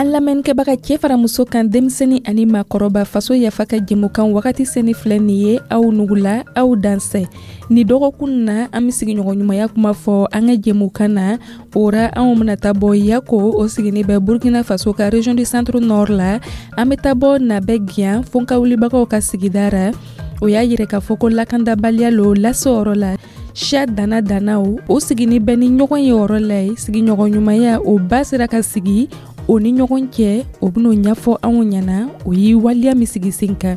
An lamɛnnikɛbaga, cɛ fara muso kan, denmisɛnnin ani maakɔrɔba, Faso Yafa ka jɛmukan wagati seni filɛ nin ye aw nugula. Aw dansɛ. Ni dɔgɔkun na, an be sigiɲɔgɔn ɲumanya kuma fɔ an ka jɛmukan na. O ra, anw bena taa bɔ Yako, o sigini bɛ Burkina Faso ka région du Centre Nord la. An be taa bɔ Nabɛgiyan, Fonkawulibagaw ka sigida ra. O y'a yirɛ k'a fɔ ko lakandabaliya lo lase yɔrɔ la. Siya dana danaw o sigini bɛ ni ɲɔgɔn ye yɔrɔ la ye. Sigiɲɔgɔn ɲumanya o ba sera ka sigi o ni ɲɔgɔn cɛ, o ben'o ɲɛfɔ anw ɲɛna, o ye waleya min sigi sen kan.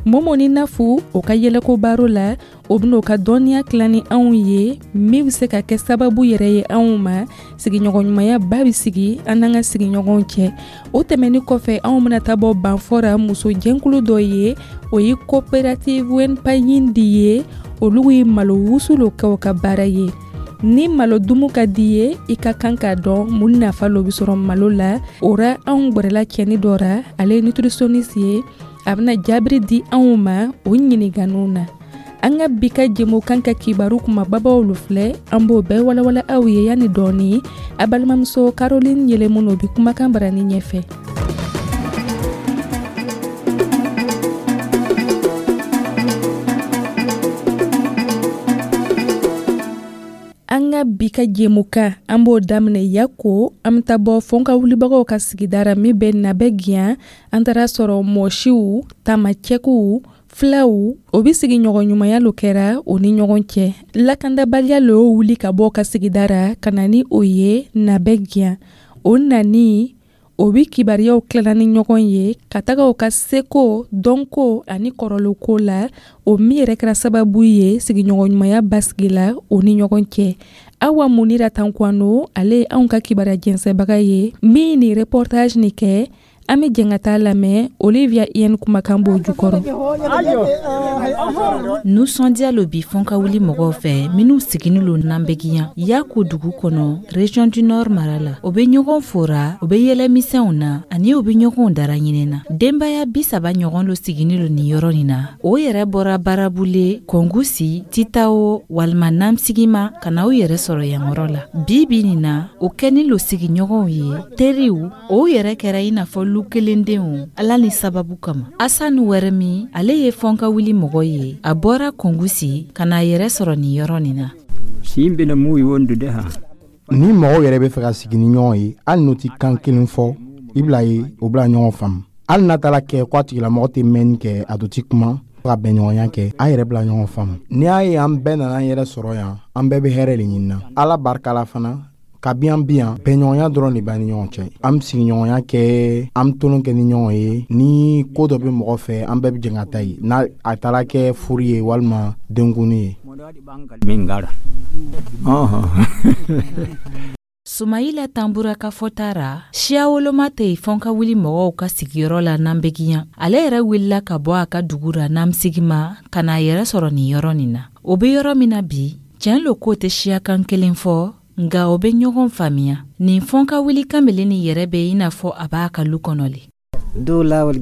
Momo ni Nafu, o ka yɛlɛko baro la, o ben'o ka dɔnniya tila ni anw ye, min be se ka kɛ sababu yɛrɛ ye anw ma, sigiɲɔgɔn ɲumanya ba be sigi an n'an ka sigiɲɔgɔnw cɛ. O tɛmɛni kɔfɛ, anw bena taa bɔ Banfɔra, muso jɛnkulu dɔ ye, o ye coopérative Wenpayindi ye. Olu ye malo wusu lo kɛ o ka baara ye. Ni malo dumu ka di ye, i ka kan k'a dɔn mun nafa lo be sɔrɔ malo la. O ra, anw gwɛrɛla cɛni dɔ ra, ale ye nutritionniste ye. A bena jaabiri di anw ma o ɲininganiw na. An ka bi ka jɛmukan ka kibaru kumababaw lo filɛ, an b'o bɛɛ walawala aw ye yanni dɔɔni. A balimamuso Caroline Yɛlɛmuno bi kumakan barani ɲɛfɛ. An ka bi ka jɛmukan, an b'o daminɛ Yako. An bɛ taa bɔ Fɔnka wulibagaw ka sigida ra min bɛ Nabɛgiyan. An taara sɔrɔ mɔsiw, tamacɛkuw, filaw, o bɛ sigi ɲɔgɔn ɲumanya lo kɛra o ni ɲɔgɔn cɛ. Lakandabaliya lo y'o wuli ka bɔ ka sigida ra ka na ni o ye Nabɛgiyan. O nani, o bɛ kibaruyaw tilala ni ɲɔgɔn ye ka taga o ka seko, dɔnko ani kɔrɔloko la, o min yɛrɛ kɛra sababu ye sigiɲɔgɔn ɲumanya basigi la o ni ɲɔgɔn cɛ. Awa Munira Tankwano, ale ye anw ka kibaruya jɛnsɛbaga ye min ni reportage nin kɛ. An bɛ jɛn ka taa lamɛn, Olivia Yen kumakan b'o jukɔrɔ. Nisɔndiya lo bi Fɔnka wuli mɔgɔw fɛ minw siginin lo Nabɛgiyan, Yako dugu kɔnɔ, région du Nord mara la. O be ɲɔgɔn fora, o be yɛlɛmisɛnw na ani o be ɲɔgɔn dara ɲinɛ na. Denbaya 30 ɲɔgɔn lo siginin lo nin yɔrɔ nin na. O yɛrɛ bɔra Barabule, Kɔngusi, Titawo walima Namsigima ka na u yɛrɛ sɔrɔ yan yɔrɔ la. Bi bi nin na, o kɛnin lo sigiɲɔgɔnw ye, teriw, o yɛrɛ kɛra i n'a fɔ lu kelendenw Ala ni sababu kama. Asan Wɛrɛmi, ale ye Fɔnka wuli mɔgɔ ye. A bɔra Kɔngusi ka n'a yɛrɛ sɔrɔ nin yɔrɔ nin na. Ni mɔgɔw yɛrɛ bɛ fɛ ka sigi ni ɲɔgɔn ye, hali n'u tɛ kan kelen fɔ, i bila ye o bila ɲɔgɔn faamu. Hali n'a taara kɛ ko a tigilamɔgɔ tɛ mɛnni kɛ, a dun tɛ kuma ka bɛnɲɔgɔnya kɛ, an yɛrɛ bila ɲɔgɔn faamu. N'i y'a ye an bɛɛ nana an yɛrɛ sɔrɔ yan, an bɛɛ bɛ hɛrɛ de ɲini na. Ala barika la fana, kabi an bi yan, bɛnɲɔgɔnya dɔrɔn de b'an ni ɲɔgɔn cɛ. An bɛ sigiɲɔgɔnya kɛ, an bɛ tolon kɛ ni ɲɔgɔn ye. Ni ko dɔ bɛ mɔgɔ fɛ, an bɛɛ bɛ jɛ ka taa yen, n'a a taara kɛ furu ye walima denkunni ye. Sumayila Tanbura ka fɔta ra, siya woloma tɛ yen Fɔnka wuli mɔgɔw ka sigiyɔrɔ la Nabɛgiyan. Ale yɛrɛ wulila ka bɔ a ka dugu ra Namsigima ka n'a yɛrɛ sɔrɔ nin yɔrɔ nin na. O bɛ yɔrɔ min na bi, tiɲɛ lo k'o tɛ siyakan kelen fɔ, nka o bɛ ɲɔgɔn faamuya. Nin Fɔnka wuli kamalen nin yɛrɛ bɛ i n'a fɔ a b'a ka lu kɔnɔ le. Hɛrɛ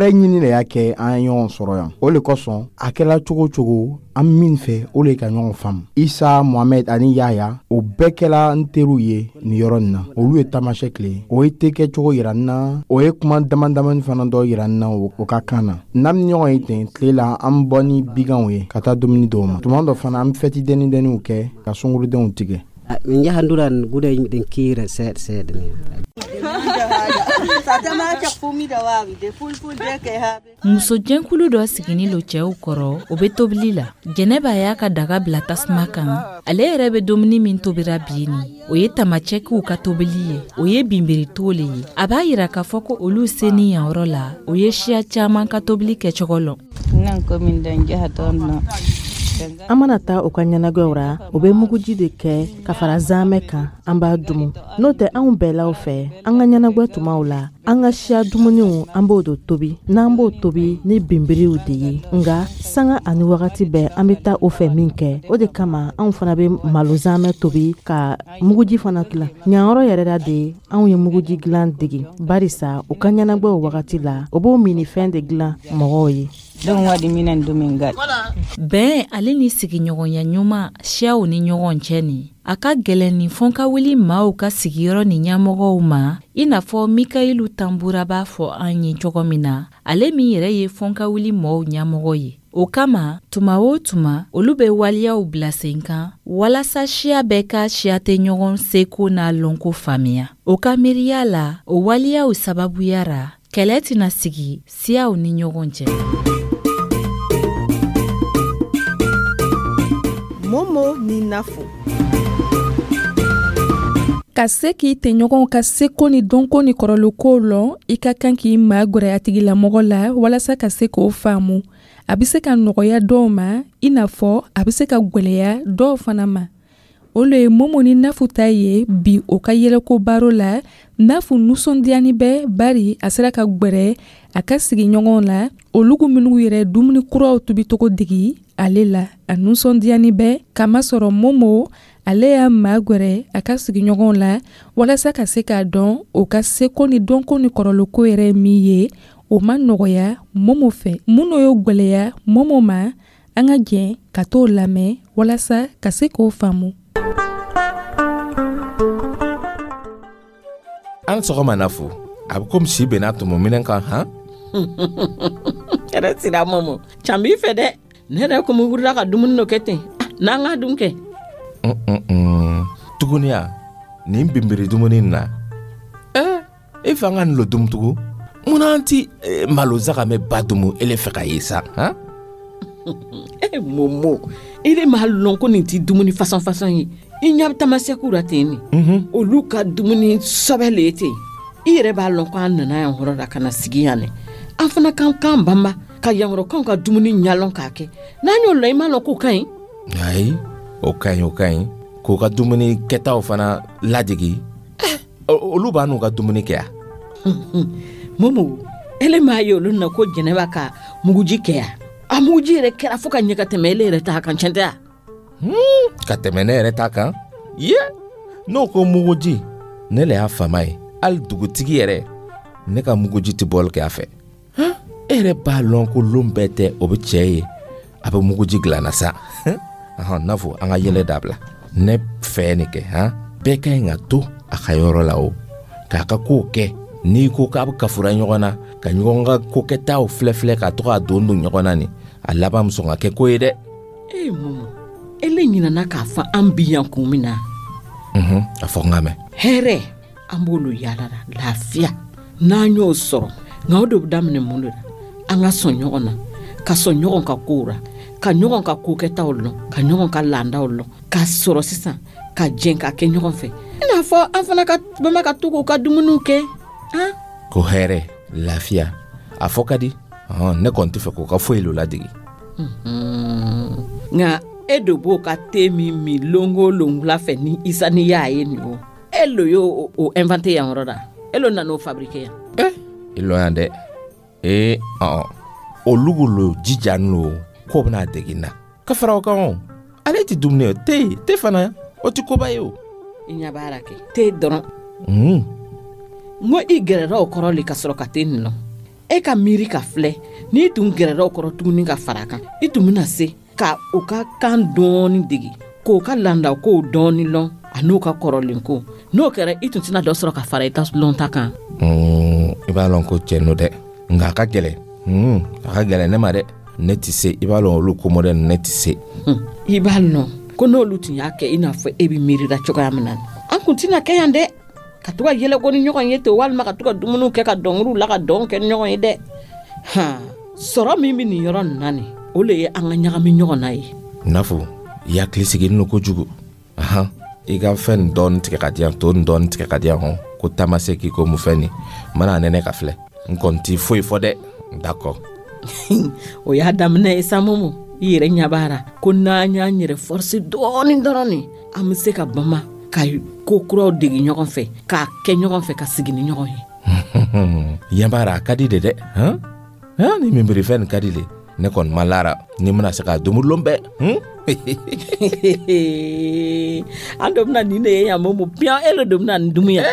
ɲini de y'a kɛ an ye ɲɔgɔn sɔrɔ yan. O le kosɔn, a kɛra cogo cogo, an min fɛ, o le ka ɲɔgɔn faamu. Isa, Mohamɛd ani Yaya, o bɛɛ kɛla n teriw ye nin yɔrɔ nin na. Olu ye tamasɛki le ye. O ye tekɛ cogo yira n na, o ye kuma dama damani fana dɔ yira n na o ka kan na. N'an bɛ ɲɔgɔn ye ten tile la, an bɛ bɔ ni biganw ye ka taa dumuni dɔw ma. Tuma dɔ fana, an bɛ fɛti dɛnni dɛnniw kɛ ka sungurudenw tigɛ. Min jahanduran gude yimɓe ɗen kiira seeɗa seeɗa ni. Muso jɛnkulu dɔ siginin lo cɛw kɔrɔ, o bɛ tobili la. Jɛnɛba y'a ka daga bila tasuma kan. Ale yɛrɛ bɛ dumuni min tobira bi nin, o ye tamacɛkiw ka tobili ye, o ye binbirito le ye. A b'a yira k'a fɔ ko olu senin yan yɔrɔ la, o ye siya caman ka tobili kɛcogo lɔn. An mana taa u ka ɲɛnagwɛw ra, u bɛ muguji de kɛ ka fara zamɛ kan, an b'a dumu. N'o tɛ, anw bɛɛlaw fɛ, an ka ɲɛnagwɛ tumaw la, an ka siya dumuniw, an b'o de tobi. N'an b'o tobi ni binbiriw de ye, nka sanga ani wagati bɛɛ an bɛ taa o fɛ min kɛ, o de kama anw fana bɛ malo zamɛ tobi ka muguji fana dilan. Ɲanyɔrɔ yɛrɛ la de anw ye muguji dilan dege, barisa u ka ɲɛnagwɛw wagati la, o b'o minifɛn de dilan mɔgɔw ye. Bɛn ale ni sigiɲɔgɔnya ɲuman siyaw ni ɲɔgɔn cɛ nin. A ka gɛlɛn nin fɔnkawuli maaw ka sigiyɔrɔ ni ɲɛmɔgɔw ma, i n'a fɔ Mikayilu Tanbura b'a fɔ an ye cogo min na, ale min yɛrɛ ye fɔnkawuli mɔɔw ɲɛmɔgɔ ye. O kama, tuma o tuma, olu bɛ waleyaw bila sen kan walasa siya bɛɛ ka siya tɛ ɲɔgɔn seko n'a lɔnko faamuya. O ka miiriya la, o waleyaw sababuya ra, kɛlɛ tɛna sigi siyaw ni ɲɔgɔn cɛ. Momo ni Nafo. Ka se k'i tɛɲɔgɔnw ka seko ni dɔnko ni kɔrɔlenkow lɔn, i ka kan k'i magɛrɛ a tigilamɔgɔ la walasa ka se k'o faamu. A bɛ se ka nɔgɔya dɔw ma, i n'a fɔ a bɛ se ka gwɛlɛya dɔw fana ma. O le ye Momo ni Nafu ta ye bi o ka yɛlɛko baro la. Nafu nisɔndiyani bɛ bari a sera ka gwɛrɛ a ka sigiɲɔgɔnw la, olugu minnu yɛrɛ dumuni kuraw tobicogo degi ale la. A nisɔndiyani bɛ kamasɔrɔ Momo ale y'a magɛrɛ a ka sigiɲɔgɔnw la walasa ka se k'a dɔn o ka seko ni dɔnko ni kɔrɔlenko yɛrɛ min ye. O ma nɔgɔya Momo fɛ. Minnu y'o gwɛlɛya Momo ma, an ka jɛn ka t'o lamɛn walasa ka se k'o faamu. An sɔgɔma Nafu, a bɛ komi si benna tɔmɔ minɛn kan han? Yɛrɛ sira Momo, can b'i fɛ dɛ. Ne yɛrɛ komi wulila ka dumuni dɔ kɛ ten, n'an ka dun kɛ. Tuguni ya, nin binbiri dumuni na. E fɛ an ka nin lo dumu tugun? Munna an ti malo zagamɛ ba dumu ele fɛ ka ye sa, han? Momo, i de m'a lɔn ko nin ti dumuni fasɔn fasɔn ye. I ɲɛ bɛ tamasɛkiw la ten nin. Olu ka dumuni sɔbɛ le ye ten. I yɛrɛ b'a lɔn ko an nana yan hɔrɔn la ka na sigi yan dɛ. An fana kan k'an banba ka yankɔrɔkanw ka dumuni ɲalɔn k'a kɛ. N'an y'o lɔn, i m'a lɔn k'o ka ɲi? Ayi, o ka ɲi, o ka ɲi. K'o ka dumuni kɛtaw fana ladegi. Olu b'a n'u ka dumuni kɛ yan. Momo, ele m'a ye olu na ko Jɛnɛba ka muguji kɛ yan. A muguji yɛrɛ kɛra fo ka ɲɛ ka tɛmɛ ele yɛrɛ ta kan, tiɲɛ tɛ wa? Ka tɛmɛ ne yɛrɛ ta kan? Ye, n'o ko muguji, ne le y'a fama ye. Hali dugutigi yɛrɛ, ne ka muguji tɛ bɔli kɛ a fɛ. E yɛrɛ b'a lɔn ko lon bɛɛ tɛ o bɛ cɛ ye, a bɛ muguji dilanna sa. Nafo, an ka yɛlɛ dabila. Ne fɛ nin kɛ, han? Bɛɛ ka ɲi ka to a ka yɔrɔ la o, k'a ka kow kɛ. N'i ko k'a bɛ kafura ɲɔgɔn na, ka ɲɔgɔn ka kokɛtaw filɛ-filɛ ka to k'a don don ɲɔgɔn na nin, a laban bɛ sɔn ka kɛ ko ye dɛ. Ee Momo, ele ɲinɛna k'a fɔ an bi yan kun min na. A fɔ n ka mɛn. Hɛrɛ, an b'olu yaala la, lafiya. N'an y'o sɔrɔ, nka o de bɛ daminɛ mun de la? An ka sɔn ɲɔgɔn na, ka sɔn ɲɔgɔn ka kow la, ka ɲɔgɔn ka kokɛtaw lɔn, ka ɲɔgɔn ka laadaw lɔn, ka sɔrɔ sisan ka jɛn ka kɛ ɲɔgɔn fɛ. I n'a fɔ an fana ka bama ka to k'u ka dumuniw kɛ. Han? Ko hɛrɛ, lafiya, a fɔ ka di. Ne kɔni tɛ fɛ k'o ka foyi lo ladege. Nka e de b'o ka te min min lon o lon wula fɛ ni Isa ni y'a ye nin o. E lo y'o o inventé yan yɔrɔ la. E lo nan'o fabriqué yan. I lɔ yan dɛ. Olu lo jija lo k'o bɛna dege n na. Ka fara o kan o, ale tɛ dumuni ye, te fana, o tɛ koba ye o. I ɲɛ b'a la kɛ, te dɔrɔn. N ko i gɛrɛla o kɔrɔ le ka sɔrɔ ka te nin lɔn. E ka miiri ka filɛ, n'i tun gɛrɛla o kɔrɔ tuguni ka fara a kan, i tun bɛna se ka o ka kan dɔɔni dege, k'o ka laadakow dɔɔni lɔn, a n'o ka kɔrɔlen ko. N'o kɛra, i tun tɛna dɔ sɔrɔ ka fara i ta lɔnta kan. I b'a lɔn ko cɛ no dɛ, nka a ka gɛlɛn. A ka gɛlɛn ne ma dɛ. Ne tɛ se, i b'a lɔn olu ko modèle ne tɛ se. I b'a lɔn ko n'olu tun y'a kɛ i n'a fɔ e bɛ miirila cogoya min na, an kun tɛna kɛ yan dɛ. Ka to ka yɛlɛko ni ɲɔgɔn ye ten, walima ka to ka dumuniw kɛ ka dɔnkiliw la ka dɔn kɛ ni ɲɔgɔn ye dɛ. Han, sɔrɔ min bɛ nin yɔrɔ nin na nin, o le ye an ka ɲagami ɲɔgɔn na ye. Nafo, i hakili sigilen don kojugu. Ahan, i ka fɛn nin dɔɔni tigɛ ka di yan, to nin dɔɔni tigɛ ka di yan hɔn. Ko tamaseki ko mun fɛn nin, n mana nɛnɛ ka filɛ. N kɔni ti foyi fɔ dɛ. D'accord. O y'a daminɛ ye sa Momo. I yɛrɛ ɲɛ b'a la ko n'an y'an yɛrɛ forcer dɔɔni dɔrɔn nin, an bɛ se ka bama ka ko kuraw dege ɲɔgɔn fɛ, k'a kɛ ɲɔgɔn fɛ, ka sigi ni ɲɔgɔn ye. Ɲɛ b'a la, a ka di de dɛ. Han? Han, ni minbirifɛn nin ka di de. Ne kɔni ma lara ni n bɛna se k'a dumu lon bɛɛ. An dɔ bɛna nin de ye yan Momo, piyan e le dɔ bɛna nin dumu yan.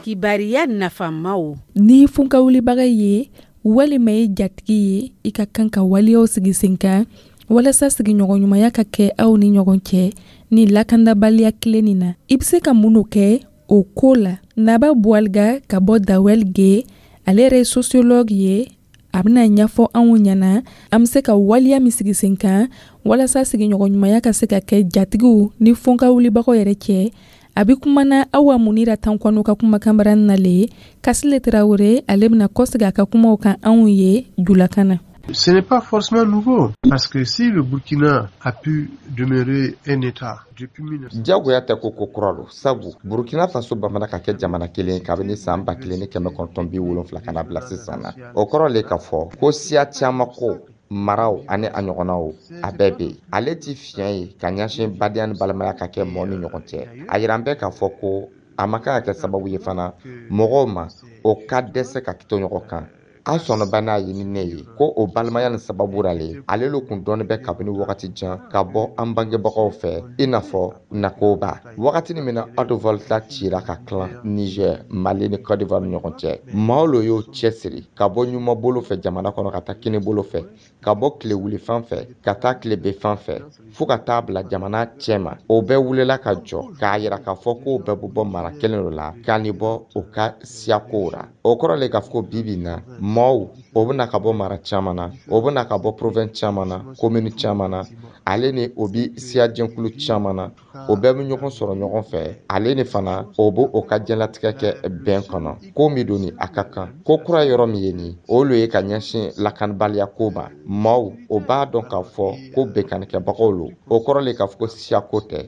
Kibariya nafamaw. Ni funkawulibaga ye Walima ye jatigi ye, i ka kan ka waleyaw sigi sen kan walasa sigiɲɔgɔnɲumanya ka kɛ aw ni ɲɔgɔn cɛ ni lakandabaliya kelen nin na. I bɛ se ka mun kɛ o ko la? Naba Buwaliga ka bɔ Dawel Ge, ale yɛrɛ ye sociologue ye, a bɛna ɲɛfɔ anw ɲɛna an bɛ se ka waleya min sigi sen kan walasa sigiɲɔgɔnɲumanya ka se ka kɛ jatigiw ni fɔnka wulibagaw yɛrɛ cɛ. A bɛ kumana Awa Munira Tankwano ka kumakanbara nale. Kasile Tarawele, ale bɛna kɔsegin a ka kumaw kan anw ye julakan na. Ce n'est pas forcément nouveau, parce que si le Burkina a pu demeurer un État depuis 1900. Diyagoya tɛ ko ko kura lo, sabu Burkina Faso bamana ka kɛ jamana kelen kabini saan 1970 ka na bila sisan na. O kɔrɔ le k'a fɔ ko siya caman ko maraw ani a ɲɔgɔnnaw a bɛɛ be yen. Ale ti fiɲɛ ye ka ɲɛsin badenya ni balimaya ka kɛ mɔɔ ni ɲɔgɔn cɛ. A yiran bɛ k'a fɔ ko a man kan ka kɛ sababu ye fana mɔgɔw ma o ka dɛsɛ ka to ɲɔgɔn kan. An sɔnnaba n'a ye ni ne ye ko o balimaya ni sababu ra le ale lo kun dɔɔni bɛ kabini wagati jan ka bɔ an bangebagaw fɛ, i n'a fɔ nakoba wagati min na Haute-Volta cira ka tilan Niger, Mali ni Côte d'Ivoire ni ɲɔgɔn cɛ. Maaw lo y'o cɛsiri ka bɔ ɲuman bolo fɛ jamana kɔnɔ ka taa kini bolo fɛ, ka bɔ tile wuli fan fɛ ka taa tile be fan fɛ, fɔɔ ka taa bila jamana cɛma. O bɛɛ wulila ka jɔ k'a yira k'a fɔ k'o bɛɛ bɛ bɔ mara kelen dɔ la k'a ni bɔ o ka siyakow ra. O kɔrɔ le k'a fɔ ko bi bi in na maaw o bɛna ka bɔ mara caman na, o bɛna ka bɔ province caman na, commune caman na, ale ni o bi siya jɛnkulu caman na, o bɛɛ bɛ ɲɔgɔn sɔrɔ ɲɔgɔn fɛ. Ale ni fana o b'o o ka diɲɛlatigɛ kɛ bɛn kɔnɔ. Ko min don ni a ka kan ko kura yɔrɔ min ye nin o lo ye ka ɲɛsin lakanabaliya ko ma. Maaw o b'a dɔn k'a fɔ ko bɛnkanikɛbagaw lo. O kɔrɔ le k'a fɔ ko siyako tɛ,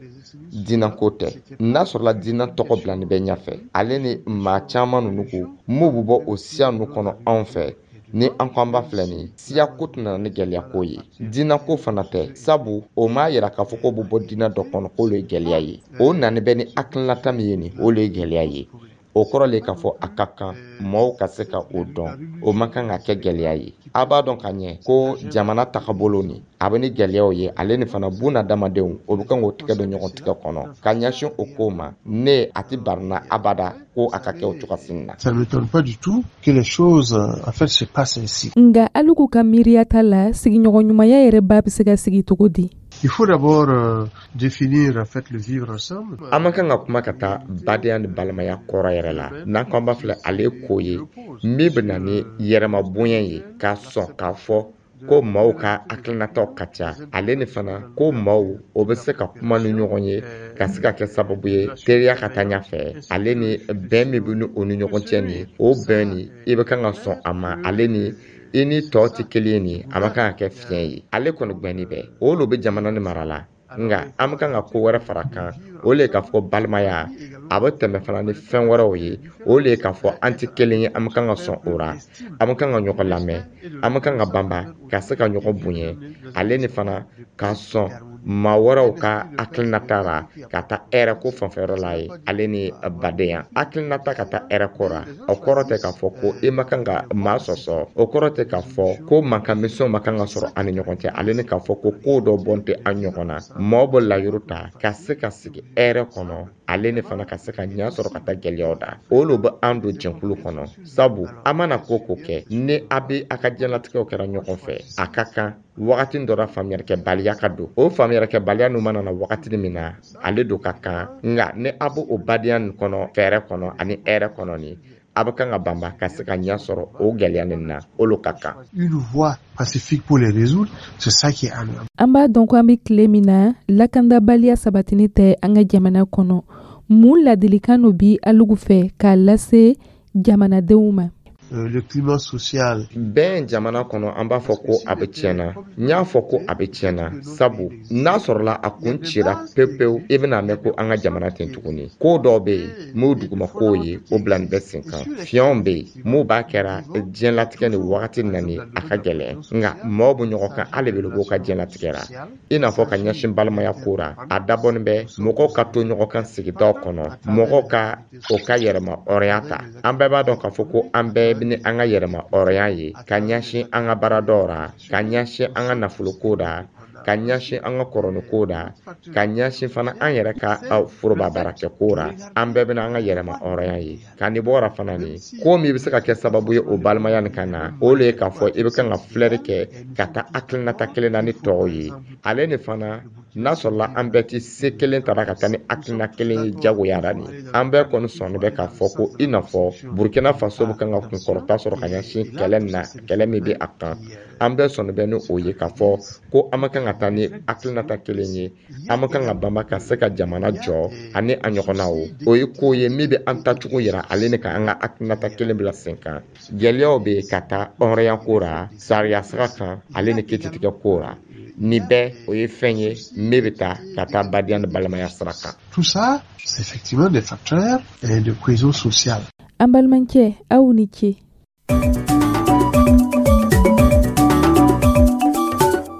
diinɛko tɛ. N'a sɔrɔla diinɛ tɔgɔ bilani bɛ ɲɛfɛ, ale ni maa caman ninnu ko m'u bɛ bɔ o siya ninnu kɔnɔ anw fɛ, ni an ko an b'a filɛ nin siya ko tɛna ni gɛlɛya ko ye, diinɛ ko fana tɛ, sabu o m'a yira k'a fɔ k'o bɛ bɔ diinɛ dɔ kɔnɔ k'o ye gɛlɛya ye. O nani bɛ ni hakilinata min ye nin o le ye gɛlɛya ye. O kɔrɔ le k'a fɔ a ka kan maaw ka se ka o dɔn, o man kan ka kɛ gɛlɛya ye. A b'a dɔn ka ɲɛ ko jamana tagabolo nin a bɛ ni gɛlɛyaw ye, ale ni fana bunadamadenw o bɛ kan k'o tigɛ don ɲɔgɔn tigɛ kɔnɔ ka ɲɛsin o ko ma. Ne a tɛ barina abada ko a ka kɛ o cogoya na. Ça ne m'étonne pas du tout que les choses en fait se passent ainsi. Nka Aluku ka miiriya ta la, sigiɲɔgɔnɲumanya yɛrɛ ba bɛ se ka sigi cogo di? Il faut d'abord définir en fait le vivre ensemble. An man kan ka kuma ka taa badenya ni balimaya kɔrɔ yɛrɛ la. N'an ko an b'a filɛ, ale ko ye min bɛ na ni yɛrɛma bonya ye, k'a sɔn k'a fɔ ko maaw ka hakilinataw ka ca, ale ni fana ko maaw o bɛ se ka kuma ni ɲɔgɔn ye ka se ka kɛ sababu ye teriya ka taa ɲɛfɛ, ale ni bɛn min bɛ ni o ni ɲɔgɔn cɛ nin o bɛn nin i bɛ kan ka sɔn a ma, ale ni i ni tɔw tɛ kelen nin a ma kan ka kɛ fiɲɛ ye. Ale kɔni gbɛnni bɛ o lo bɛ jamana ni mara la. Nka an bɛ kan ka ko wɛrɛ fara kan, o le ye k'a fɔ balimaya a bɛ tɛmɛ fana ni fɛn wɛrɛw ye. O le ye k'a fɔ an tɛ kelen ye, an bɛ kan ka sɔn o ra, an bɛ kan ka ɲɔgɔn lamɛn, an bɛ kan ka banba ka se ka ɲɔgɔn bonya, ale ni fana ka sɔn maa wɛrɛw ka hakilinata la ka taa hɛrɛ ko fanfɛyɔrɔ la ye, ale ni badenya hakilinata ka taa hɛrɛ ko ra. O kɔrɔ tɛ k'a fɔ ko i ma kan ka maa sɔsɔ, o kɔrɔ tɛ k'a fɔ ko mankan misɛnw ma kan ka sɔrɔ an ni ɲɔgɔn cɛ, ale ni k'a fɔ ko ko dɔ bɔn tɛ an ɲɔgɔn na. Maaw bɛ layiru ta ka se ka sigi hɛrɛ kɔnɔ, ale ni fana ka se ka ɲɛ sɔrɔ ka taa gɛlɛyaw da. O lo bɛ an don jɛnkulu kɔnɔ, sabu an mana ko ko kɛ ni a bɛ a ka diɲɛlatigɛw kɛra ɲɔgɔn fɛ, a ka kan wagati dɔ la faamuyalikɛbaliya ka don. O faamuyalikɛbaliya ninnu mana na wagati min na, ale don ka kan. Nka ni a b'o o badenya nin kɔnɔ fɛɛrɛ kɔnɔ ani hɛrɛ kɔnɔ nin a bɛ kan ka banba ka se ka ɲɛ sɔrɔ o gɛlɛya nin na, o lo ka kan. Une voie pacifique pour les résoudre, c'est ça qui est amenable. An b'a dɔn ko an bɛ tile min na, lakandabaliya sabatini tɛ an ka jamana kɔnɔ. Mun ladilikan no bi Alugu fɛ k'a lase jamanadenw ma? Le climat social. Bɛn jamana kɔnɔ, an b'a fɔ ko a bɛ tiɲɛna. N y'a fɔ ko a bɛ tiɲɛna, sabu n'a sɔrɔla a kun cira pewu pewu, i bɛna mɛn ko an ka jamana ten tuguni. Ko dɔw bɛ yen m'o duguma kow ye, o bila nin bɛ sen kan. Fiɲɛw bɛ yen m'o b'a kɛra diɲɛlatigɛ ni wagati nani a ka gɛlɛn, nka maaw bɛ ɲɔgɔn kan hali bɛ b'o ka diɲɛlatigɛ la, i n'a fɔ ka ɲɛsin balimaya ko ra. A dabɔnin bɛ mɔgɔw ka to ɲɔgɔn kan sigidaw kɔnɔ, mɔgɔw ka o ka yɛrɛma hɔrɔnya ta. An bɛɛ b'a dɔn k'a fɔ ko an bɛɛ bɛ ni an ka yɛrɛma hɔrɔnya ye ka ɲɛsin an ka baaradaw ra, ka ɲɛsin an ka nafoloko ra. Ka ɲɛsin an ka kɔrɔniko la, ka ɲɛsin fana an yɛrɛ ka foroba baarakɛko ra, an bɛɛ bɛna an ka yɛrɛma hɔrɔnya ye. Ka nin bɔra fana nin ko min bɛ se ka kɛ sababu ye o balimaya nin ka na, o le ye k'a fɔ i bɛ kan ka filɛri kɛ ka taa hakilinata kelen na ni tɔw ye. Ale ni fana, n'a sɔrɔla an bɛɛ tɛ se kelen tara ka taa ni hakilina kelen ye jagoya la nin, an bɛɛ kɔni sɔnni bɛ k'a fɔ ko i n'a fɔ Burkina Faso bɛ kan ka kunkɔrɔta sɔrɔ ka ɲɛsin kɛlɛ na, kɛlɛ min bɛ a kan, an bɛɛ sɔnni bɛ ni o ye k'a fɔ ko an ma kan ka taa ni hakilinata kelen ye, an ma kan ka banba ka se ka jamana jɔ ani a ɲɔgɔnnaw. O ye ko ye min bɛ an taacogo yira ale ni ka an ka hakilinata kelen bila sen kan. Gɛlɛyaw bɛ ka taa hɔrɔnya ko ra, sariya sira kan, ale ni kititigɛ ko ra. Nin bɛɛ o ye fɛn ye min bɛ taa ka taa badenya ni balimaya sira kan. Tout ça, c'est effectivement des facteurs de cohésion sociale. An balimakɛ, aw ni ce.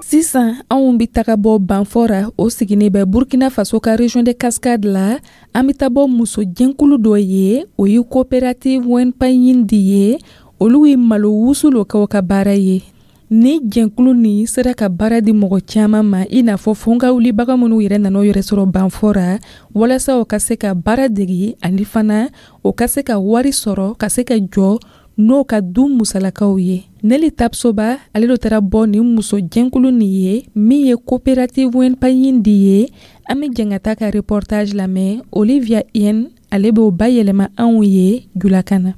Sisan anw bɛ taga bɔ Banfora, o siginin bɛ Burkina Faso ka région de Cascade la. An bɛ taa bɔ muso jɛnkulu dɔ ye, o ye coopérative Wenpayindi ye. Olu ye malo wusu lo kɛ o ka baara ye. Ni jɛnkulu nin sera ka baara di mɔgɔ caman ma, i n'a fɔ fɔnkawulibaga minnu yɛrɛ nana u yɛrɛ sɔrɔ Banfora, walasa o ka se ka baara degi ani fana o ka se ka wari sɔrɔ ka se ka jɔ n'o ka du musalakaw ye. Neli Tapsoba ale do taara bɔ nin muso jɛnkulu nin ye min ye coopérative Wenpayindi ye. An bɛ jɛn ka taa ka reportage lamɛn. Olivia Yen ale b'o bayɛlɛma anw ye julakan na.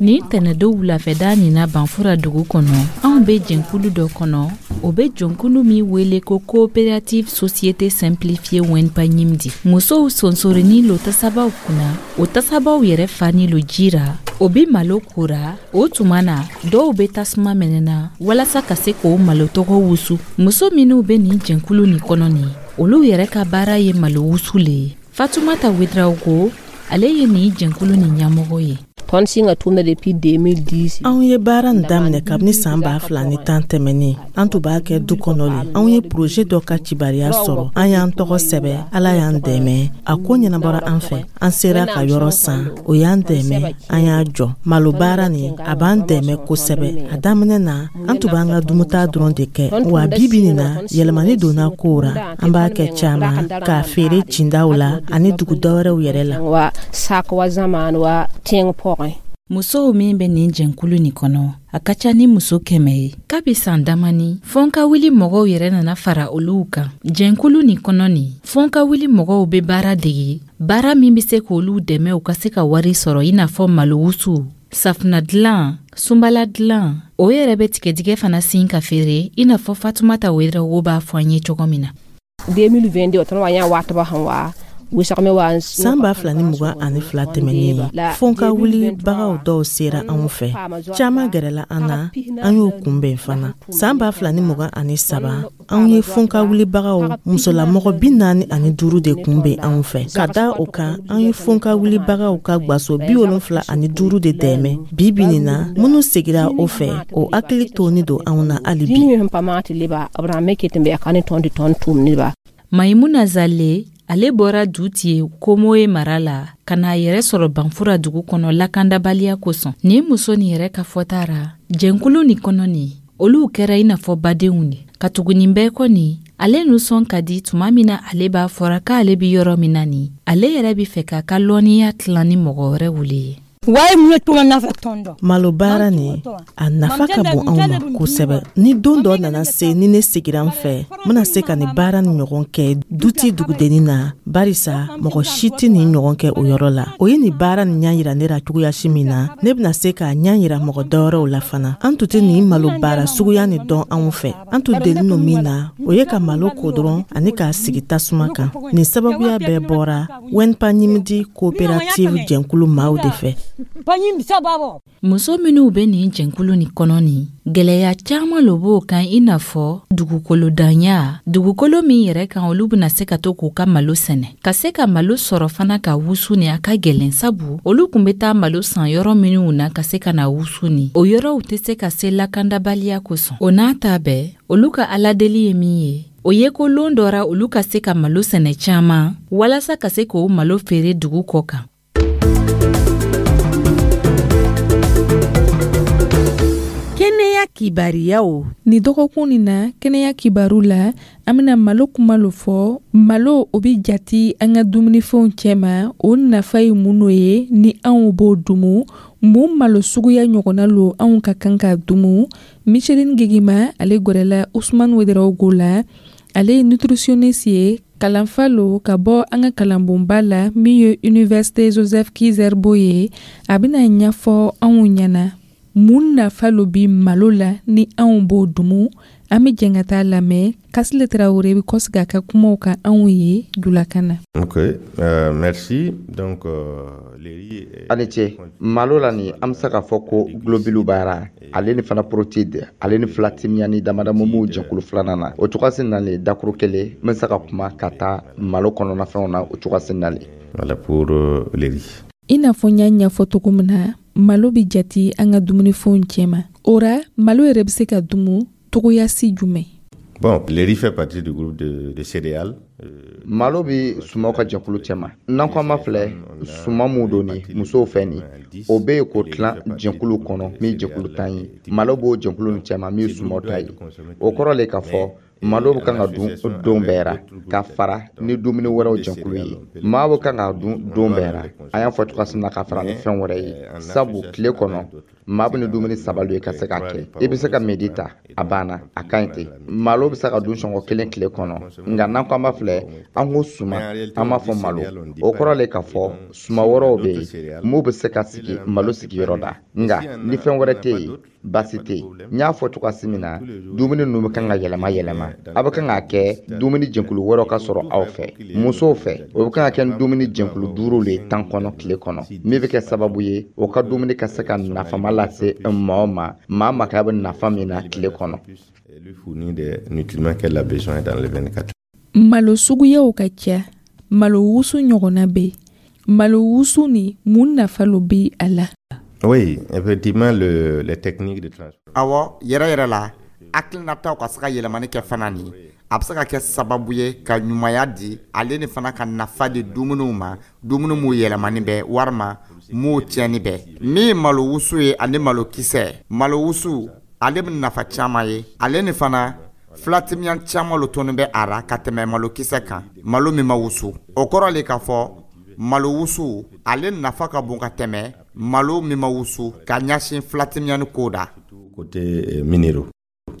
Nin tɛnɛdon wulafɛda nin na Banfora dugu kɔnɔ, anw bɛ jɛnkulu dɔ kɔnɔ, o bɛ jɛnkulu min wele ko coopérative société simplifiée Wenpayindi. Musow sonsorini lo tasabaw kunna, o tasabaw yɛrɛ fani lo ji ra, o bɛ malo kora. O tuma na dɔw bɛ tasuma mɛnɛna walasa ka se k'o malo tɔgɔ wusu. Muso minnu bɛ nin jɛnkulu nin kɔnɔ nin, olu yɛrɛ ka baara ye malo wusu le ye. Fatumata Ouedraogo, ale ye nin jɛnkulu nin ɲɛmɔgɔ ye. Anw ye baara nin daminɛ kabini san 2010 tɛmɛnen. An tun b'a kɛ du kɔnɔ le. Anw ye projet dɔ ka cibariya sɔrɔ, an y'an tɔgɔ sɛbɛ, Ala y'an dɛmɛ, a ko ɲɛnabɔra an fɛ. An sera ka yɔrɔ san, o y'an dɛmɛ, an y'a jɔ. Malo baara nin, a b'an dɛmɛ kosɛbɛ. A daminɛ na, an tun b'an ka dumuta dɔrɔn de kɛ. Wa bi bi nin na, yɛlɛmani donna kow ra. An b'a kɛ caman k'a feere cindaw la ani dugu dɔwɛrɛw yɛrɛ la. Musow min bɛ nin jɛnkulu nin kɔnɔ, a ka ca ni muso 100 ye. Kabi san damani, fɔnkawuli mɔgɔw yɛrɛ nana fara olu kan. Jɛnkulu nin kɔnɔ nin, fɔnkawuli mɔgɔw bɛ baara dege, baara min bɛ se k'olu dɛmɛ u ka se ka wari sɔrɔ, i n'a fɔ malowusu, safunɛ dilan, sunbala dilan. O yɛrɛ bɛ tigɛdigɛ fana sin ka feere, i n'a fɔ Fatumata Ouedraogo b'a fɔ an ye cogo min na. San 2022 tɛmɛnen, fɔnkawulibagaw dɔw sera anw fɛ, caman gɛrɛla an na, an y'o kunbɛn fana. San 2023, anw ye fɔnkawulibagaw musolamɔgɔ 45 de kunbɛn anw fɛ. Ka da o kan, an ye fɔnkawulibagaw ka gwaso 75 de dɛmɛ. Bi bi nin na, minnu segira o fɛ, o hakili toni don anw na hali bi. Maimuna Zale, ale bɔra Dutye Komoe mara la ka n'a yɛrɛ sɔrɔ Banfora dugu kɔnɔ lakandabaliya kosɔn. Nin muso nin yɛrɛ ka fɔta ra, jɛnkulu nin kɔnɔ nin, olu kɛra i n'a fɔ badenw de. Ka tugu nin bɛɛ kɔ nin, ale nisɔn ka di tuma min na ale b'a fɔra k'ale bi yɔrɔ min na nin, ale yɛrɛ bi fɛ k'a ka lɔnniya tilan ni mɔgɔ wɛrɛw le ye. Malo baara nin, a nafa ka bon anw ma kosɛbɛ. Ni don dɔ nana se ni ne segira n fɛ, n bɛna se ka nin baara nin ɲɔgɔn kɛ duti dugudennin na, barisa mɔgɔ si tɛ nin ɲɔgɔn kɛ o yɔrɔ la. O ye nin baara nin ɲɛ yira ne la cogoya si min na, ne bɛna se k'a ɲɛ yira mɔgɔ dɔwɛrɛw la fana. An tun tɛ nin malo baara suguya nin dɔn anw fɛ. An tun deli don min na, o ye ka malo ko dɔrɔn ani k'a sigi tasuma kan. Nin sababuya bɛɛ bɔra Wenpayindi coopérative jɛnkulu maaw de fɛ. Muso minnu bɛ nin jɛnkulu nin kɔnɔ nin, gɛlɛya caman lo b'o kan, i n'a fɔ dugukolo danya, dugukolo min yɛrɛ kan olu bɛna se ka to k'u ka malo sɛnɛ. Ka se ka malo sɔrɔ fana ka wusu ni a ka gɛlɛn, sabu olu kun bɛ taa malo san yɔrɔ minnu na ka se ka na wusu ni, o yɔrɔw tɛ se ka se lakandabaliya kosɔn. O n'a ta bɛɛ, olu ka aladeli ye min ye, o ye ko lon dɔ ra olu ka se ka malo sɛnɛ caman walasa ka se k'o malo feere dugu kɔ kan. Kibariyaw. Ni dɔgɔkun nin na, kɛnɛya kibaru la, an bɛna malo kuma lo fɔ. Malo, o bɛ jati an ka dumunifɛnw cɛma. O nafa ye mun no ye ni anw b'o dumu? Mun malo suguya ɲɔgɔnna lo anw ka kan ka dumu? Micheline Gegima, ale gwɛrɛla Usman Wederawogo la. Ale ye nutritionniste ye, kalanfa lo ka bɔ an ka kalanbonba la min ye Université Joseph Ki-Zerbo ye. A bɛna ɲɛfɔ anw ɲɛna mun nafa lo bi malo la ni anw b'o dumu. An bɛ jɛn ka taa lamɛn. Kasile Tarawele bɛ kɔsigi a ka kumaw kan anw ye julakan na. Ok, merci. Donc, le riz A ni ce. Malo la nin, an bɛ se k'a fɔ ko globules b'a ra, ale ni fana protéines, ale ni filatimiya ni damadama m'o jɛkulu filanan na. O cogoya na le, dakuru kelen, n bɛ se ka kuma ka taa malo kɔnɔnafɛnw na o cogoya na le. Voilà pour le riz. I n'a fɔ n y'a ɲɛfɔ cogo min na, malo bɛ jati an ka dumunifɛnw cɛma. O ra, malo yɛrɛ bɛ se ka dumu togoya si jumɛn? Bon, le riz fait partie du groupe de céréales. Malo bɛ sumaw ka jɛkulu cɛma. N'an ko an ma filɛ, suma mun don nin musow fɛ nin, o bɛ yen k'o tilan jɛkulu kɔnɔ min jɛkulu 10 ye. Malo b'o jɛkulu nin cɛma min ye sumaw ta ye. O kɔrɔ le k'a fɔ malo bɛ kan ka dun don bɛɛ ra ka fara ni dumuni wɛrɛw jɛkulu ye. Maa bɛ kan ka dun don bɛɛ ra, an y'a fɔ cogoya min na, ka fara ni fɛn wɛrɛ ye, sabu tile kɔnɔ maa bɛ ni dumuni saba ye ka se k'a kɛ. I bɛ se ka midi ta, a banna, a ka ɲi ten. Malo bɛ se ka dun sɔngɔ kelen tile kɔnɔ. Nka n'an ko an b'a filɛ, an ko suma, an b'a fɔ malo, o kɔrɔ le k'a fɔ suma wɛrɛw bɛ yen mun bɛ se ka sigi malo sigiyɔrɔ la. Nka ni fɛn wɛrɛ tɛ yen, baasi tɛ yen. N y'a fɔ cogoya min na, dumuni ninnu bɛ kan ka yɛlɛma yɛlɛma. A bɛ kan k'a kɛ dumuni jɛkulu wɛrɛw ka sɔrɔ aw fɛ. Musow fɛ, o bɛ kan ka kɛ ni dumuni jɛkulu duuru le ye 10 kɔnɔ tile kɔnɔ, min bɛ kɛ sababu ye o ka dumuni ka se ka nafama lase maa o ma, maa maka bɛ nafa min na tile kɔnɔ. Lui fournit des nutriments qu'elle a besoin dans les 24. Malo suguyaw ka ca. Malo wusu ɲɔgɔnna bɛ yen. Malo wusu ni, mun nafa lo bɛ a la? Oui, effectivement, les techniques de transport. Awɔ, yɛrɛ yɛrɛ la, hakilinataw ka se ka yɛlɛmani kɛ fana nin, a bɛ se ka kɛ sababu ye ka ɲumanya di, ale ni fana ka nafa di dumuniw ma, dumuni m'u yɛlɛmani bɛ walima m'u tiɲɛni bɛ. Min malo wusu ye ani malo kisɛ, malo wusu ale bɛ nafa caman ye, ale ni fana filatimiya caman lo tɔnni bɛ a ra ka tɛmɛ malo kisɛ kan, malo min ma wusu. O kɔrɔ le k'a fɔ malo wusu ale nafa ka bon ka tɛmɛ malo min ma wusu ka ɲɛsin filatimiya ni ko da. Côté minéraux.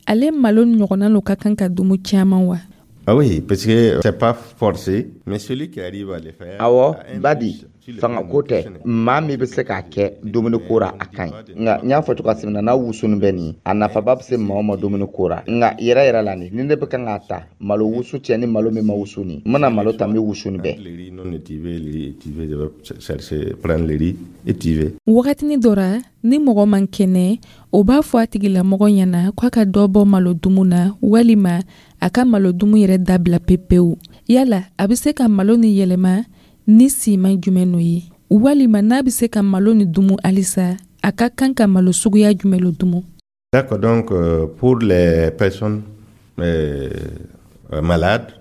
Ale malo ɲɔgɔnna lo ka kan ka dumu caman wa? Ah oui, parce que c'est pas forcé, mais celui qui arrive à le faire. Awɔ, badi fanga ko tɛ. Maa min bɛ se k'a kɛ dumuni ko ra, a ka ɲi. Nka n y'a fɔ cogoya min na, n'a wusuni bɛ nin, a nafaba bɛ se maa o ma dumuni ko ra. Nka yɛrɛ yɛrɛ la nin, ni ne bɛ kan k'a ta malo wusu cɛ ni malo min ma wusu nin, n bɛna malo ta min wusuni bɛ. Le riz non étivé, le riz étivé, je vais chercher, prendre le riz étivé. Wagatini dɔ ra, ni mɔgɔ man kɛnɛ, o b'a fɔ a tigilamɔgɔ ɲɛna k'a ka dɔ bɔ malo dumu na walima a ka malo dumu yɛrɛ dabila pepewu. Yala a bɛ se ka malo ni yɛlɛma ni siman jumɛn n'o ye, walima n'a bɛ se ka malo ni dumu halisa, a ka kan ka malo suguya jumɛn lo dumu? D'accord, donc pour les personnes malades,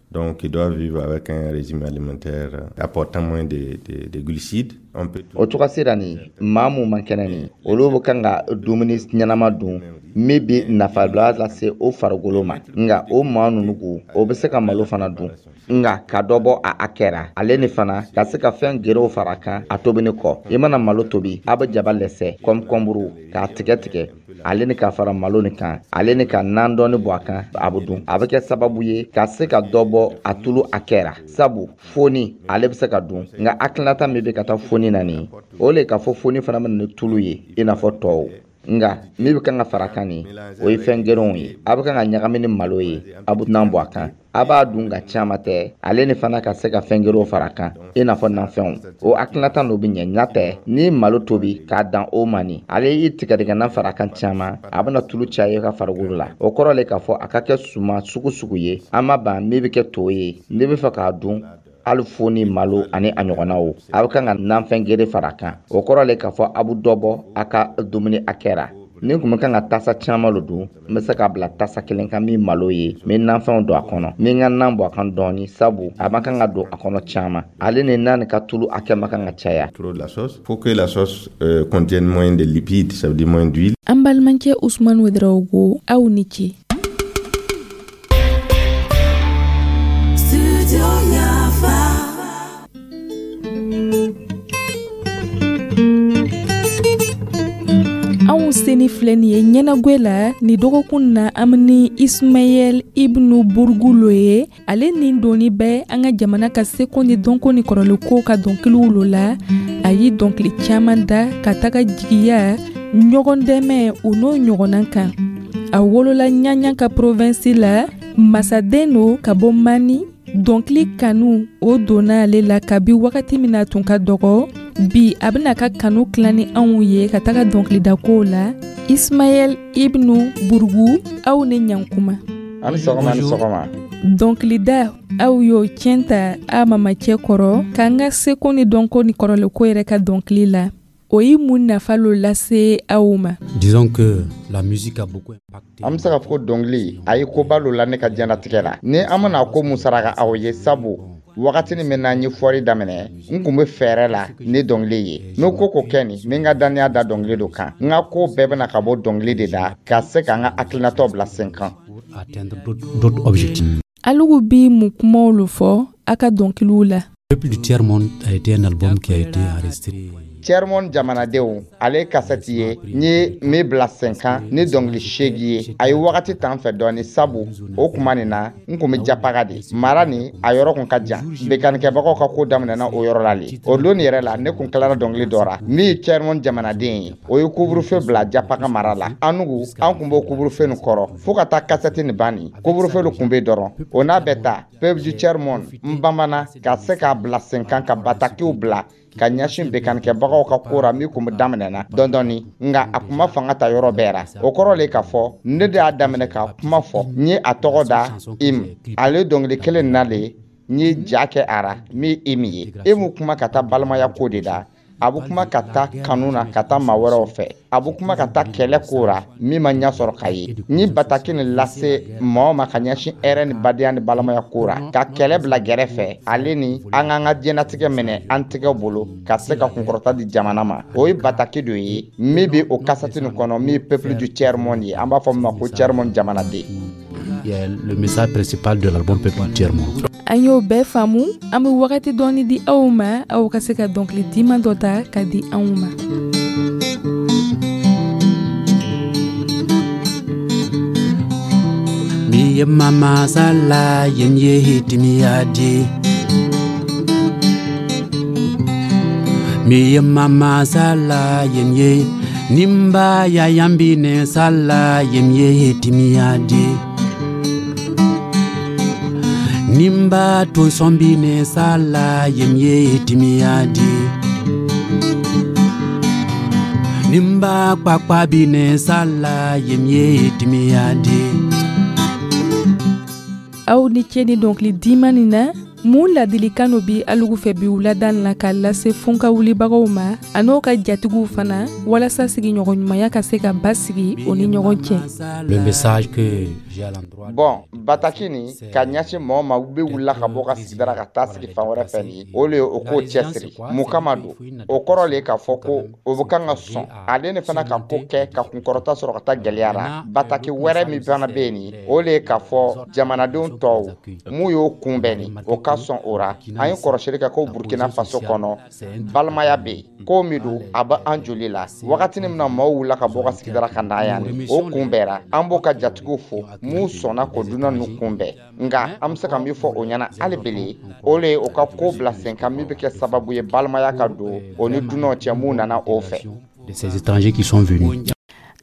donc qui doivent vivre avec un régime alimentaire apportant moins de glucides, on peut. O cogoya sera nin, maa mun man kɛnɛ nin, olu bɛ kan ka dumuni ɲɛnama dun min bɛ nafaba lase o farikolo ma. Nka o maa ninnu ko, o bɛ se ka malo fana dun, nka ka dɔ bɔ a hakɛ ra, ale ni fana ka se ka fɛn gerew fara kan a tobini kɔ. I mana malo tobi, a bɛ jaba lɛsɛ, kɔnburu k'a tigɛ tigɛ, ale ni ka fara malo nin kan, ale ni ka nan dɔɔni bɔ a kan, a bɛ dun. A bɛ kɛ sababu ye ka se ka dɔ bɔ a tulu hakɛ ra, sabu foni ale bɛ se ka dun. Nka hakilinata min bɛ ka taa foni na nin, o le k'a fɔ foni fana bɛ na ni tulu ye i n'a fɔ tɔw. Nka min bɛ kan ka fara kan nin, o ye fɛn gerenw ye. A bɛ kan ka ɲagami ni malo ye, a bɛ nan bɔ a kan, a b'a dun ka caman tɛ, ale ni fana ka se ka fɛn gerenw fara a kan i n'a fɔ nafɛnw. O hakilinata n'o bɛ ɲɛ ɲa tɛ. Ni malo tobi k'a dan o ma nin, ale y'i tigɛdigɛna fara a kan caman, a bɛna tulu caya i ka farikolo la. O kɔrɔ le k'a fɔ a ka kɛ suma sugu sugu ye. An ma ban min bɛ kɛ to ye, n'i bɛ fɛ k'a dun, hali fo ni malo ani a ɲɔgɔnnaw, a bɛ kan ka nanfɛn gere fara a kan. O kɔrɔ le k'a fɔ a bɛ dɔ bɔ a ka dumuni hakɛ ra. Ni kun bɛ kan ka tasa caman lo dun, n bɛ se k'a bila tasa kelen kan min malo ye, n bɛ nanfɛnw don a kɔnɔ, n bɛ n ka nan bɔ a kan dɔɔni, sabu a ma kan ka don a kɔnɔ caman. Ale ni nan ka tulu hakɛ ma kan ka caya. Trop de la sauce. Faut que la sauce contienne moins de lipides, ça veut dire moins d'huile. An balimacɛ Usman Wedraogo, aw ni ce. Anw seni filɛ nin ye ɲɛnagwɛ la ni dɔgɔkun na, an ni Ismaɛl Ibnu Burugu lo ye. Ale nin doni bɛ an ka jamana ka seko ni dɔnko ni kɔrɔlenko ka dɔnkiliw lo la. A ye dɔnkili caman da ka taga jigiya, ɲɔgɔn dɛmɛ, o n'o ɲɔgɔnna kan. A wolola Ɲaɲa ka provinsi la, masaden lo ka bɔ Mani. Dɔnkili kanu o donna ale la kabi wagati min na tun ka dɔgɔ. Bi a bɛna ka kanu tilan ni anw ye ka taga dɔnkilidakow la. Ismaɛl Ibnu Burugu, aw ni ɲankuma. Ani sɔgɔma, ni sɔgɔma. Dɔnkilida, aw y'o tiɲɛ ta a mamacɛ kɔrɔ k'an ka seko ni dɔnko ni kɔrɔlenko yɛrɛ ka dɔnkili la, o ye mun nafa lo lase aw ma? Disons que la musique a beaucoup impacté. An bɛ se k'a fɔ ko dɔnkili a ye koba lo la ne ka diɲɛlatigɛ la, ni an bɛna ko mun saraka aw ye, sabu wagatini min na n ye fɔri daminɛ, n kun bɛ fɛɛrɛ la ni dɔnkili ye. N'o ko ko kɛ nin, n bɛ n ka dannaya da dɔnkili do kan. N ka ko bɛɛ bɛna ka bɔ dɔnkili de la ka se ka n ka hakilinatɔ bila sen kan. Atteindre d'autres objectifs. Alugu bi mun kumaw lo fɔ a ka dɔnkiliw la? Peuple du Tiers-Monde a été un album qui a été enregistré. Tiers-Monde jamanadenw, ale ye kasɛti ye n ye min bila sen kan ni dɔnkili 8 ye. A ye wagati ta n fɛ dɔɔni, sabu o kuma nin na n kun bɛ Japaga de mara ni a yɔrɔ kun ka jan. Bekanikɛbagaw ka ko daminɛna o yɔrɔ la le. O don yɛrɛ la, ne kun tilara dɔnkili dɔ ra min ye Tiers-Monde jamanaden ye. O ye couvre-feu bila Japaga mara la. Anugu an kun b'o couvre-feu nin kɔrɔ fo ka taa kasɛti nin ban. Nin couvre-feu kun bɛ dɔrɔn, o n'a bɛɛ ta, Peuple du Tiers-Monde, n bamana ka se k'a bila sen kan ka batakiw bila ka ɲɛsin bekanikɛbagaw ka ko ra min kun bɛ daminɛna dɔɔni dɔɔni, nka a kun ma fanga ta yɔrɔ bɛɛ ra. O kɔrɔ le k'a fɔ ne de y'a daminɛ ka kuma fɔ. N ye a tɔgɔ da im. Ale dɔnkili kelen na le n ye ja kɛ a ra min im ye. Imu kuma ka taa balimaya ko de la, a bɛ kuma ka taa kanu na ka taa maa wɛrɛw fɛ, a bɛ kuma ka taa kɛlɛ ko ra min ma ɲɛ sɔrɔ ka ye. N ye bataki nin lase mɔgɔ ma ka ɲɛsin hɛrɛ ni badenya ni balimaya ko ra, ka kɛlɛ bila gɛrɛfɛ, ale ni an k'an ka diɲɛlatigɛ minɛ an tɛgɛ bolo ka se ka kunkɔrɔta di jamana ma. O ye bataki dɔ ye min bɛ o kasati nin kɔnɔ, min ye Peuple du Tiers-Monde ye, an b'a fɔ min ma ko Tiers-Monde jamanaden. Le message principal de l'album Peuple du Tiers-Monde. An y'o bɛɛ faamu. An bɛ wagati dɔɔni di aw ma, aw ka se ka dɔnkili diman dɔ ta ka di anw ma. Mi ye mama sala yem ye hitimiya di. Mi ye mama sala yem ye nimba ya yambine sala yem ye hitimiya di. Nimba to sombine sala yem ye timiya di. Nimba kpakpa bine sala yem ye timiya di. Aw ni ce ni dɔnkili diman nin na. Mun ladilikan no bi alugu fɛ bi wulada la ka lase funka wulibagaw ma a n'o ka jatigiw fana, walasa sigiɲɔgɔn ɲumanya ka se ka basigi o ni ɲɔgɔn cɛ? Le message que j'ai à l'endroit. Bon, bataki nin ka ɲɛsin mɔgɔ ma u bɛ wulila ka bɔ ka sigidara ka taa sigi fan wɛrɛ fɛ nin, o le ye o k'o cɛsiri. Mun kama don? O kɔrɔ le k'a fɔ ko o bɛ kan ka sɔn ale ni fana ka ko kɛ ka kunkɔrɔta sɔrɔ ka taa gɛlɛya la. Bataki wɛrɛ min fana bɛ yen nin, o le ye k'a fɔ jamanadenw tɔw mun y'o kunbɛn nin, o ka sɔn o ra. An ye kɔrɔsili kɛ ko Burkina Faso kɔnɔ, balimaya bɛ yen. Ko min don, a bɛ an joli la. Wagatini min na maaw wulila ka bɔ ka sigidara ka na yan nin, o kunbɛra. An b'o ka jatigiw fo mun sɔnna k'o dunan ninnu kunbɛn, nka an bɛ se ka min fɔ o ɲɛna hali bele, o le ye o ka ko bila sen kan min bɛ kɛ sababu ye balimaya ka don o ni dunanw cɛ mun nana o fɛ. De ces étrangers qui sont venus.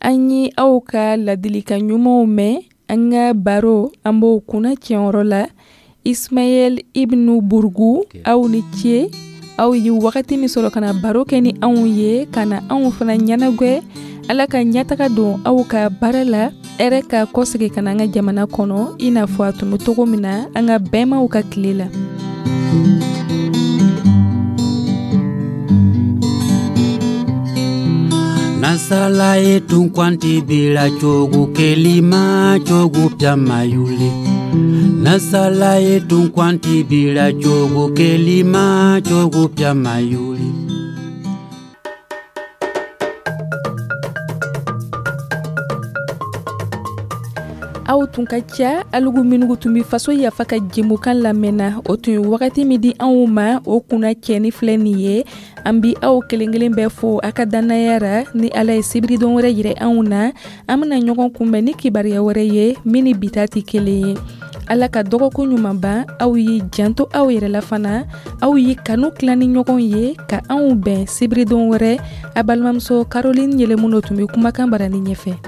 An ye aw ka ladilikan ɲumanw mɛn. An ka baro, an b'o kunna tiɲɛyɔrɔ la. Ismaɛl Ibnu Burugu, aw ni ce. Aw ye wagati min sɔrɔ ka na baro kɛ ni anw ye, ka na anw fana ɲɛnagwɛ. Ala ka ɲɛtaga don aw ka baara la, hɛrɛ ka kɔsegin ka na an ka jamana kɔnɔ i n'a fɔ a tun bɛ cogo min na an ka bɛnbaw ka tile la. Nasala ye tun kwanti bila cogo kelima cogo piama yule. Nasala ye tun kwanti bila cogo kelima cogo piama yule. Aw tun ka ca, alugu minugu tun be Faso Yafa ka jɛmukan lamɛnna. O tun ye wagati min di anw ma, o kunna cɛni filɛ nin ye. An bi aw kelen kelen bɛɛ fo a ka dannaya ra. Ni Ala ye sibiridon wɛrɛ yirɛ anw na, an bena ɲɔgɔn kunbɛn ni kibaruya wɛrɛ ye min ni bi ta tɛ kelen ye. Ala ka dɔgɔkun ɲuman ban. Aw y'i janto aw yɛrɛ la fana, aw y'i kanu tila ni ɲɔgɔn ye, ka anw bɛn sibiridon wɛrɛ. A balimamuso Caroline Yɛlɛmuno tun bɛ kumakan barani ɲɛfɛ.